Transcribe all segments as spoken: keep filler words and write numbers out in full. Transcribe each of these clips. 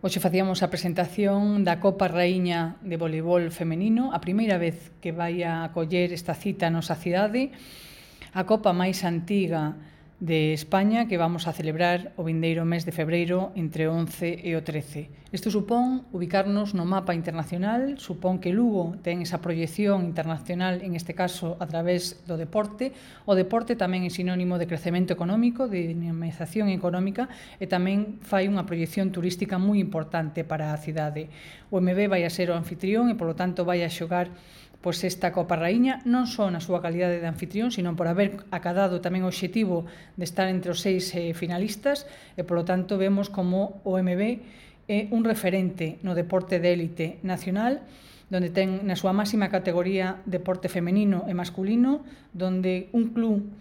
Hoxe facíamos a presentación da Copa Raíña de Voleibol Femenino, a primeira vez que vai a acoller esta cita a nosa cidade, a Copa máis antiga de España que vamos a celebrar o vindeiro mes de febreiro entre o once e o trece. Isto supón ubicarnos no mapa internacional, supón que Lugo ten esa proyección internacional, en este caso a través do deporte. O deporte tamén é sinónimo de crecemento económico, de dinamización económica e tamén fai unha proyección turística moi importante para a cidade. O M B vai a ser o anfitrión e, polo tanto, vai a xogar pois esta Copa Raíña, non só na súa calidade de anfitrión, sino por haber acadado tamén o obxectivo de estar entre os seis eh, finalistas e, polo tanto, vemos como o M B é un referente no deporte de élite nacional, donde ten na súa máxima categoría deporte femenino e masculino, donde un club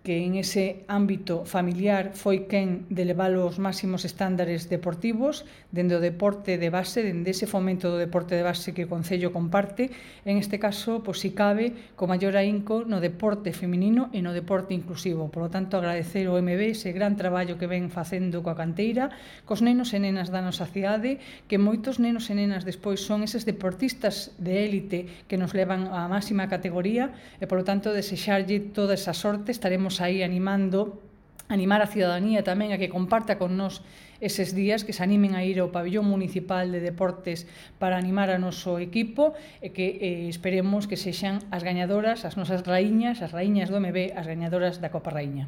que en ese ámbito familiar foi quen de levar os máximos estándares deportivos dende o deporte de base, dende ese fomento do deporte de base que o Concello comparte, en este caso, pois, si cabe, co maior ahínco no deporte feminino e no deporte inclusivo. Por lo tanto, agradecer ao M B ese gran traballo que ven facendo coa canteira, cos nenos e nenas da nosa cidade, que moitos nenos e nenas despois son eses deportistas de élite que nos levan á máxima categoría e, por lo tanto, desexarlle toda esa sorte. Estaremos aí animando, animar a cidadanía tamén a que comparta con nós eses días, que se animen a ir ao pabillón municipal de deportes para animar a noso equipo e que eh, esperemos que sexan as gañadoras, as nosas raíñas, as raíñas do M B, as gañadoras da Copa Raíña.